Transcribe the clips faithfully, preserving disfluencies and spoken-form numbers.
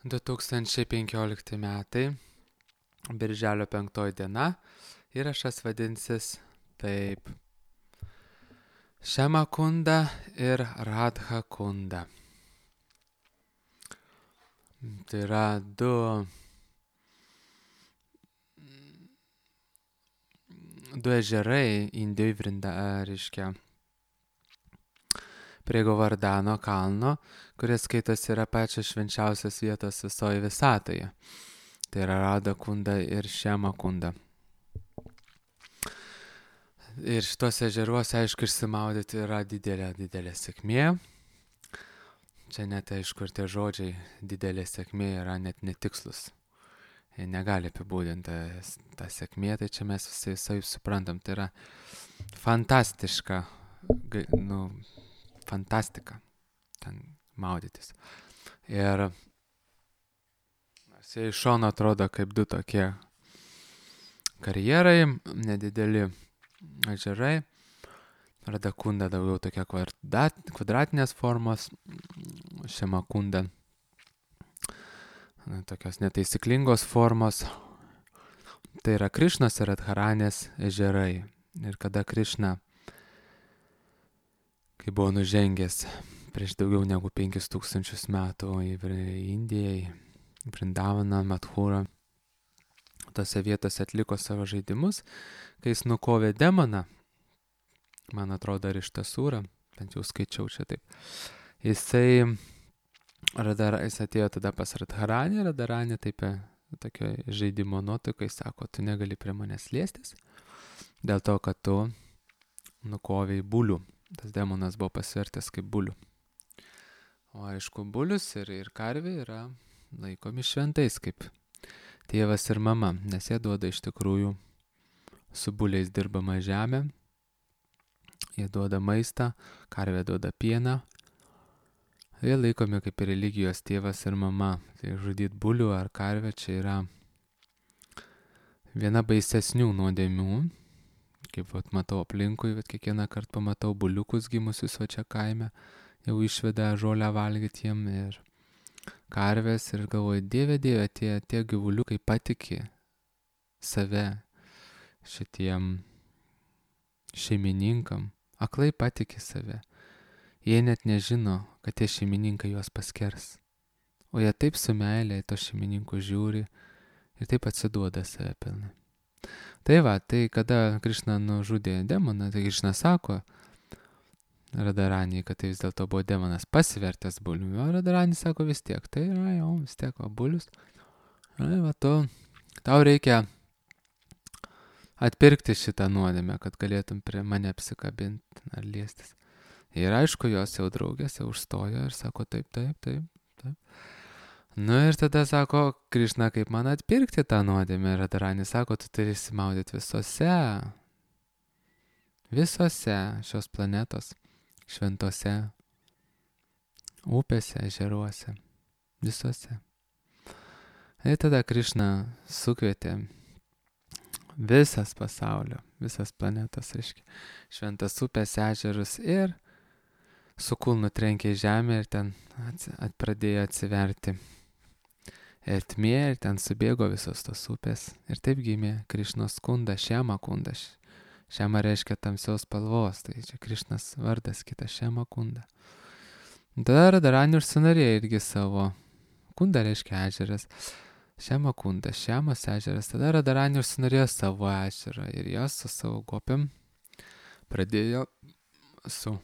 du tūkstančiai penkiolikti metai, birželio penktoji diena, įrašas vadinsis taip. Šiama kunda ir Radha kunda. Tai yra du, du ežerai Indijoj Vrinda, reiškia, prie Govardhano kalno, kuris skaitos yra pačios švenčiausios vietos visoje visatoje. Tai yra Radha kunda ir Šiama kunda. Ir šitos ežeruose, aišku, išsimaudyti yra didelė, didelė sėkmė. Čia net, aišku, ir tie žodžiai didelė sėkmė yra net netikslus. Jie negali apibūdinti tą sėkmė, tai čia mes visi visai suprantam. Tai yra fantastiška, nu, fantastika ten maudytis. Ir jie iš šono atrodo kaip du tokie karjerai, nedideli ežerai. Radha kunda daugiau tokia kvadrat, kvadratinės formos, Šiama kunda tokios netaisyklingos formos. Tai yra Krišnos ir Radharanės ežerai. Ir kada Krišna, kai buvo nužengęs prieš daugiau negu penkis tūkstančius metų į Indijai, Vrindavaną, Mathurą, tose vietose atliko savo žaidimus, kai jis nukovė demoną, man atrodo, ir iš Tasūrą, bent jau skaičiau čia taip. Jisai, radar, jis atėjo tada pas Radharanį, Radharanį taip tokio žaidimo nuotaikai sako, tu negali prie manęs liestis, dėl to, kad tu nukovėjai bulių. Tas demonas buvo pasvertęs kaip bulių. O aišku, bulius ir, ir karvė yra laikomi šventais kaip tėvas ir mama, nes jie duoda iš tikrųjų su buliais dirbamą žemę, jie duoda maistą, karvė duoda pieną, jie laikomi kaip religijos tėvas ir mama. Tai žudyt bulių ar karvę čia yra viena baisesnių nuodėmių, kaip vat, matau aplinkui, vat, kiekvieną kartą pamatau buliukus gimusius va čia kaime, jau išveda žolę valgyti jiem ir karvės ir galvoju, dieve, dieve, tie, tie gyvuliukai patiki save šitiem šeimininkam, aklai patiki save. Jie net nežino, kad tie šeimininkai juos paskers. O jie taip su meilė į to šeimininkų žiūri ir taip atsiduoda save pilnai. Tai va, tai kada Krišna nužudė demoną, tai Krišna sako Radharaniai, kad tai vis dėlto buvo demonas pasivertęs bulių. O Radharani sako vis tiek, tai yra jau vis tiek va, bulius. Na, va, tu, tau reikia atpirkti šitą nuodėmę, kad galėtum prie mane apsikabinti ar liestis. Ir aišku, jos jau draugės jau užstojo ir sako taip, taip, taip, taip. Nu ir tada sako, Krišna, kaip man atpirkti tą nuodėmę. Radharani sako, tu turi įsimaudyti visose, visose šios planetos šventose upėse, ežeruose, visose. Ir tada Krišna sukvietė visas pasaulio, visas planetas, reiškia, šventas upės, ežerus ir su kulnu trenkė į žemę ir ten ats, at, pradėjo atsiverti ertmė ir ten subėgo visos tos upės. Ir taip gimė Krišnos kunda, Šiama kunda. Šiama reiškia tamsios spalvos, tai čia Krišnas vardas, kita Šiama kunda. Tada Radharani užsinorėjo irgi savo, kunda reiškia ežeras, Šiama kunda, Šiamas ežeras. Tada Radharani užsinorėjo savo ežerą ir jos su savo gopėm pradėjo su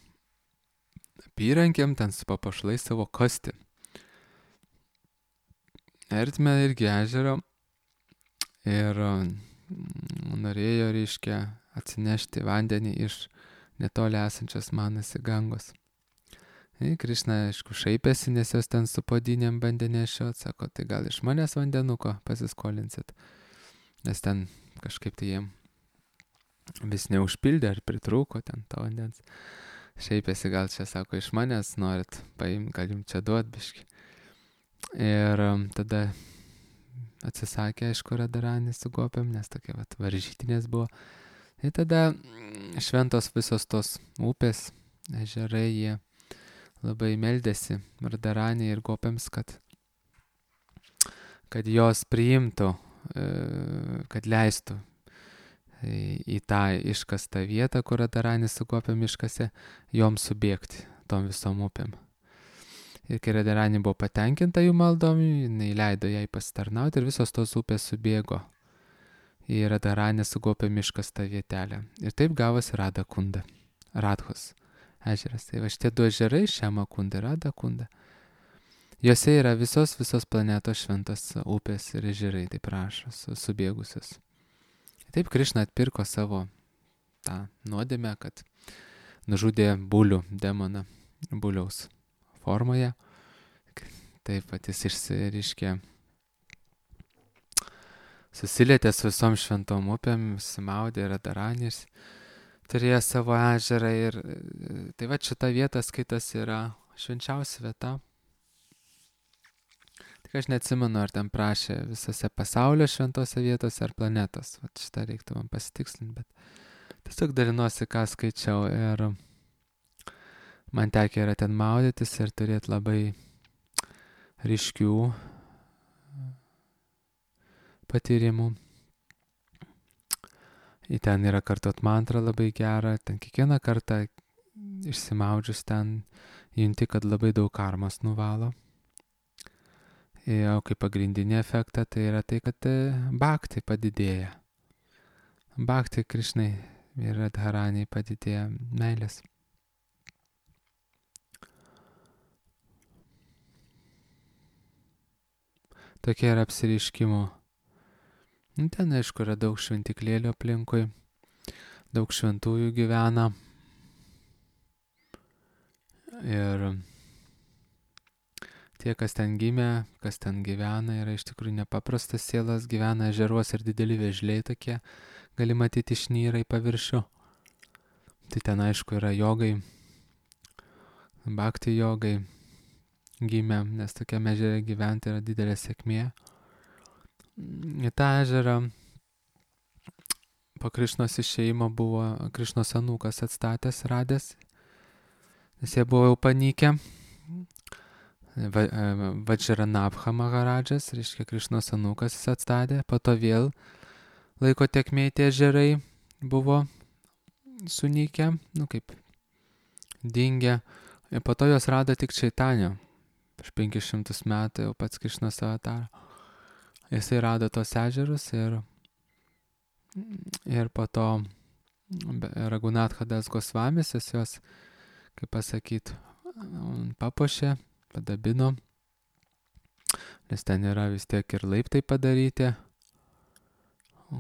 apyrankėm, ten su papuošalais savo kasti. Ertmę irgi ežero ir norėjo, reiškia, atsinešti vandenį iš netoli esančios Manasi Gangos. Ir Krišna, aišku, šaipėsi, nes jos ten su podinėm bandė nešiot, sako, tai gal iš manęs vandenuko pasiskolinsit, nes ten kažkaip tai jiem vis neužpildė ar pritrūko ten to vandens. Šaipėsi, gal čia, sako, iš manęs norit paimti, gal jums čia duot biški. Ir tada atsisakė, aišku, Radharani su gopėm, nes tokie vat, varžytinės buvo. Ir tada šventos visos tos upės, ežerai, jie labai meldėsi Radharani ir gopėms, kad kad jos priimtų, kad leistų į tą iškastą vietą, kur Radharanis sugopė miškase, joms subėgti tom visom upėm. Ir kai Radharani buvo patenkinta jų maldom, jinai leido jai pasitarnauti ir visos tos upės subėgo į Radharanį sugopė miškastą vietelę. Ir taip gavosi Radakunda, Radhos ežeras. Tai va šitie du ežerai, Šiamakunda ir Radakunda. Juose yra visos, visos planetos šventos upės ir ežerai, taip rašo, subėgusios. Taip Krišna atpirko savo tą nuodėmę, kad nužudė bulių demoną, buliaus formoje. Taip pat jis išsiriškė, susilietė su visom šventom upėm, simaudė Radharanis, turėjo savo ežerą ir tai va šita vieta skaitas yra švenčiausia vieta. Tik aš neatsimenu, ar ten prašė visose pasaulio šventose vietose ar planetos. Vat šitą reiktų man pasitikslinti, bet tiesiog dalinuosi, ką skaičiau ir man tekia yra ten maudytis ir turėti labai ryškių patyrimų. Į ten yra kartot mantrą labai gerą, ten kiekvieną kartą išsimaudžius ten junti, kad labai daug karmos nuvalo. O kaip pagrindinį efektą tai yra tai, kad bhakti padidėja. Bhakti Krišnai ir Radharaniai padidėja meilės. Tokie yra apsireiškimo. Ten, aišku, yra daug šventiklėlių aplinkui, daug šventųjų gyvena. Ir tie, kas ten gimė, kas ten gyvena, yra iš tikrųjų nepaprastas sielas, gyvena ežeruos ir dideli vėžliai tokie, gali matyti išnyra į paviršių. Tai ten, aišku, yra jogai, bhakti jogai gimė, nes tokiame ežere gyventi yra didelė sėkmė. Į tą ežerą po Krišnos išėjimo buvo Krišnos anūkas atstatęs, radęs, nes jie buvo jau panykę. Va, Vajranabha Maharadžas, reiškia Krišnos anūkas jis atstatė, po to vėl laiko tėkmėj tie ežerai buvo sunykę, nu kaip dingę, ir po to jos rado tik Čaitanio, prieš penkis šimtus metų jau pats Krišnos avatara. Jisai rado tos ežerus ir, ir po to Raghunathadas Gosvamis jis jos, kaip pasakyt, papuošė, padabino, nes ten yra vis tiek ir laiptai padaryti,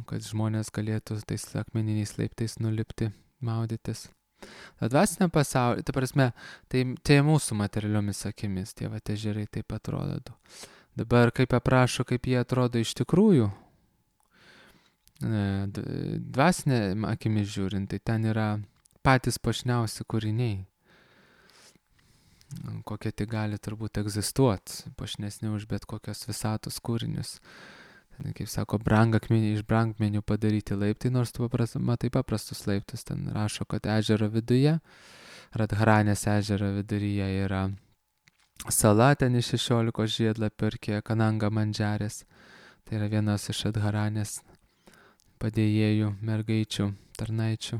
kad žmonės galėtų tais akmeniniais laiptais nulipti, maudytis. Ta dvasinė pasaulio, ta prasme, tai, tai mūsų materialiomis akimis, tie va ežerai taip atrodo. Dabar kaip aprašo, kaip jie atrodo iš tikrųjų, dvasinė akimis žiūrint, tai ten yra patys puošniausi kūriniai, kokie tik gali turbūt egzistuoti, puošnesni už bet kokios visatos kūrinius. Ten, kaip sako, brangakmeniai iš brangmenių padaryti laiptai, nors tu papras, matai paprastus laiptus, ten rašo, kad ežero viduje, Radharanės ežero viduryje yra sala, ten iš šešiolikos žiedlapių ir Kananga Mandžarės. Tai yra vienas iš Radharanės padėjėjų, mergaičių, tarnaičių.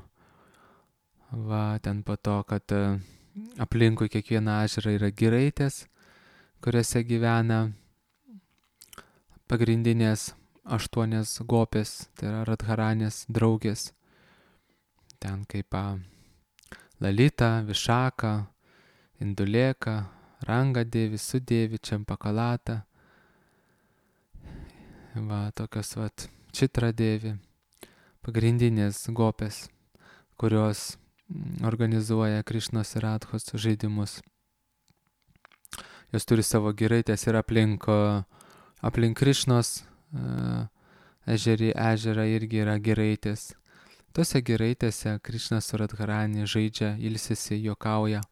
Va, ten po to, kad aplinkui kiekvieną ežerą yra giraitės, kuriuose gyvena pagrindinės aštuonias gopės, tai yra Radharanės draugės. Ten kaip Lalita, Višaka, Induleka, Rangadevi, Sudevi, Čempakalata, va, tokios vat Čitradevi, pagrindinės gopės, kurios organizuoja Krišnos ir Radhos žaidimus. Jos turi savo giraitės ir aplink, aplink Krišnos uh, ežerį, ežerą irgi yra giraitės. Tose giraitėse Krišnas su Radharani žaidžia, ilsisi, juokauja,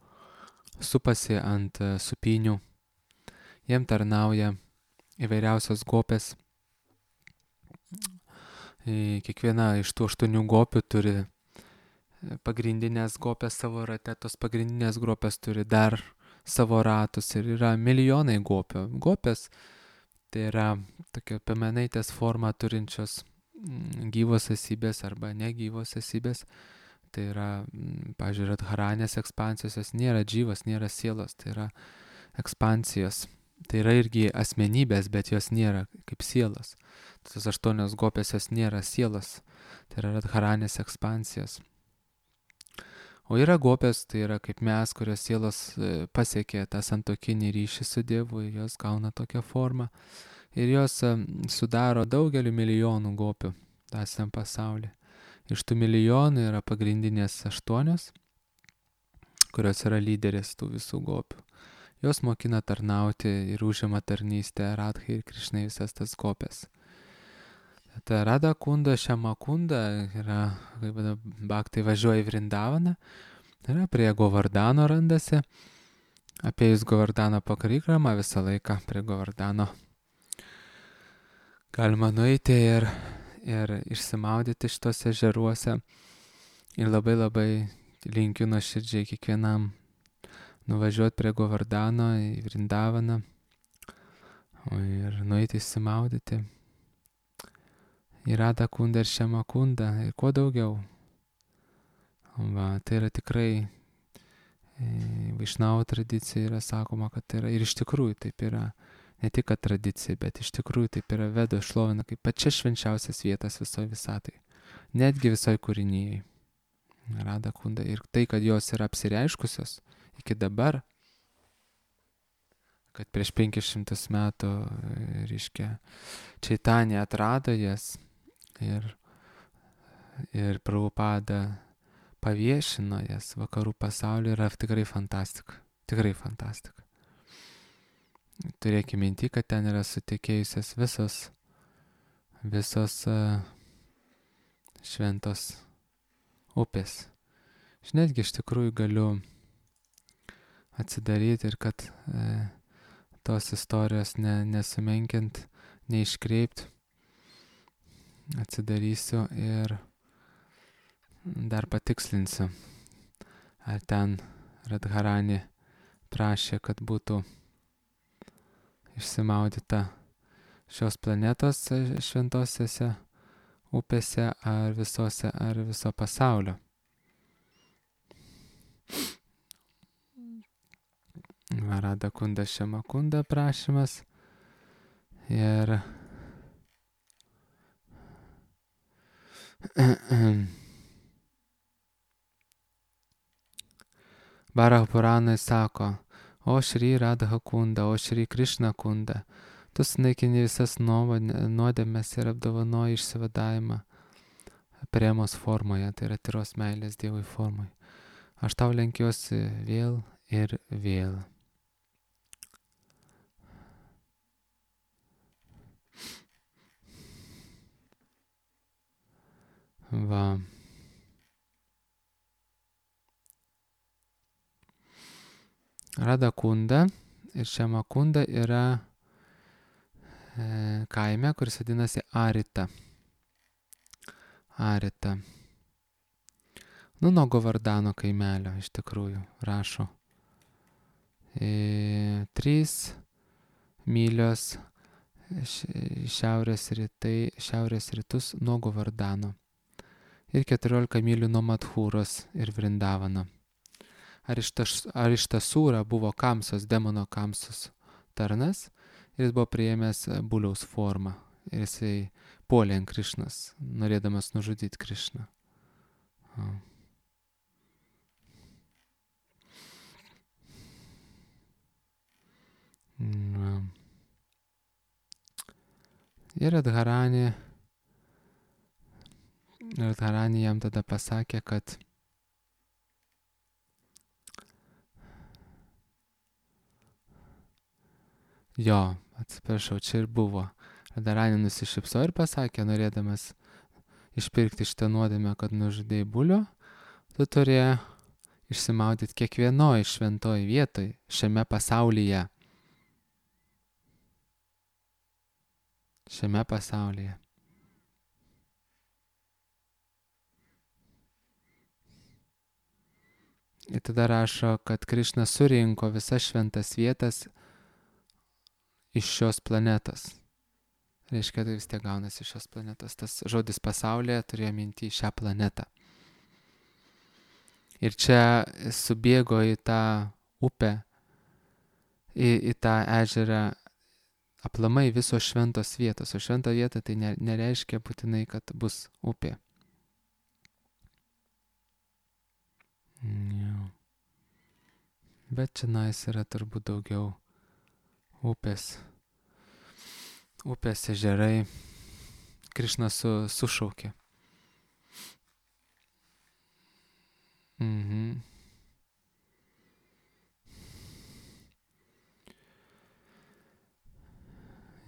supasi ant supinių, jiem tarnauja įvairiausios gopės. Kiekviena iš tų aštuonių gopių turi pagrindinės gopės savo rate, tos pagrindinės gopės turi dar savo ratus ir yra milijonai gopių. Gopės Tai yra tokia piemenaitės formą turinčios gyvos esybės arba negyvos esybės. Tai yra, pavyzdžiui, radharanės ekspansijos, jos nėra gyvos, nėra sielos, tai yra ekspansijos. Tai yra irgi asmenybės, bet jos nėra kaip sielos. Tos aštuonios gopės jos nėra sielos, tai yra radharanės ekspansijos. O yra gopės, tai yra kaip mes, kurios sielos pasiekė tą santuokinį ryšį su Dievu, jos gauna tokią formą. Ir jos sudaro daugelį milijonų gopių tąsiam pasaulyje. Iš tų milijonų yra pagrindinės aštuonios, kurios yra lyderės tų visų gopių. Jos mokina tarnauti ir užima tarnystę Radhai ir Krišnai visas tas gopės. Ta Radha Kunda, Šiama Kunda yra, kaip bhaktai važiuoja į Vrindavaną, yra prie Govardano randasi, apėjus Govardano pakrikramą visą laiką prie Govardano galima nueiti ir, ir išsimaudyti šitose ežeruose. Ir labai labai linkiu nuoširdžiai kiekvienam nuvažiuoti prie Govardano į Vrindavaną ir nueiti išsimaudyti. Į Radha Kundą ir Šiama Kundą ir kuo daugiau. Va, tai yra tikrai e, Vaišnavų tradicija yra sakoma, kad tai yra ir iš tikrųjų taip yra. Ne tik kad tradicija, bet iš tikrųjų taip yra Vedo šlovina kaip pačia švenčiausias vietas visoje visatai. Netgi visoje kūrinyje. Radha Kunda. Ir tai, kad jos yra apsireiškusios iki dabar, kad prieš penkis šimtus metų, reiškia, Čaitanija atrado jas ir, ir Prabhupada paviešino jas vakarų pasaulyje, yra tikrai fantastika. Tikrai fantastika. Turėkime minti, kad ten yra sutekėjusios visos, visos uh, šventos upės. Aš netgi iš tikrųjų galiu atsidaryti ir kad uh, tos istorijos ne, nesumenkint, neiškreipt, atsidarysiu ir dar patikslinsiu, ar ten Radharani prašė, kad būtų išsimaudyta šios planetos šventosiose upėse, ar visose, ar viso pasaulio. Radha Kunda, Šiama Kunda prašymas ir Varaha Puranai sako: O Šri Radha Kunda, o Šri Krishna Kunda, tu sunaikini visas nuodėmes ir apdovanoji išsivadavimą premos formoje, tai yra tyros meilės Dievui formoje. Aš tau lenkiuosi vėl ir vėl. Va. Radha Kunda ir Šiama Kunda yra e, kaime, kuris vadinasi Arita. Arita. Nu, nuo Govardano kaimelio, iš tikrųjų, rašo. E, trys mylios šiaurės, rytai, šiaurės rytus nuo Govardano ir keturiolika mylių nuo Madhūros ir Vrindavano. Arištasūra buvo Kamsos, demono Kamsos tarnas ir jis buvo priėmęs buliaus formą ir jisai puolė ant Krišnos, norėdamas nužudyti Krišną. Na. Ir Radharani, Radharani jam tada pasakė, kad jo, atsiprašau, čia ir buvo. Radharani nusišypsojo ir pasakė, norėdamas išpirkti šitą nuodėmę, kad nužudėjai bulio, tu turėjai išsimaudyti kiekvienoj šventoj vietoj šiame pasaulyje. Šiame pasaulyje. Ir tada rašo, kad Krišna surinko visas šventas vietas iš šios planetos. Reiškia, tai vis tiek gaunasi iš šios planetos. Tas žodis pasaulyje turėjo minti šią planetą. Ir čia subėgo į tą upę, į, į tą ežerą aplamai visos šventos vietos. O šventa vieta tai nereiškia būtinai, kad bus upė. Jau. Bet čia nais yra turbūt daugiau upės. Upės ežerai. Krišna su, sušaukė. Mhm.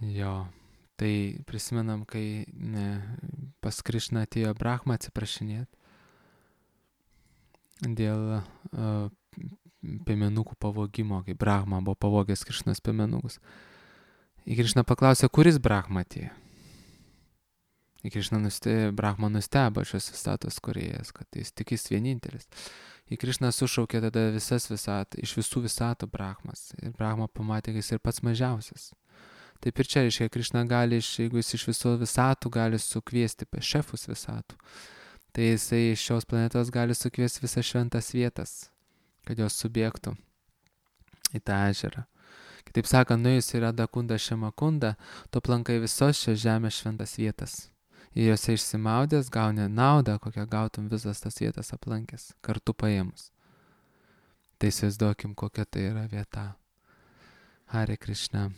Jo, tai prisimenam, kai ne, pas Krišną atėjo Brahma atsiprašinėti dėl uh, piemenukų pavogimo, kai Brahma buvo pavogęs Krišnos piemenukus. Ir Krišna paklausė, kuris Brahma atėjo. Ir Krišna nuste, Brahma nustebo šios visatos kūrėjas, kad jis tik jis vienintelis. Ir Krišna sušaukė tada visas visat, iš visų visatų Brahmas. Ir Brahma pamatė, kad jis ir pats mažiausias. Taip ir čia, reiškia, Krišna gali, jeigu jis iš visų visatų gali sukviesti šefus visatų, tai jisai iš šios planetos gali sukviesti visas šventas vietas, kad jos subėgtų į tą ežerą. Kitaip sakant, nuėjus į Radakunda Šemakunda, tu aplankai visos šios žemės šventas vietas. Ir jose išsimaudęs gauni naudą, kokią gautum visas tas vietas aplankęs, kartu paėmus. Tai įsivaizduokim, kokia tai yra vieta. Hare Krishna.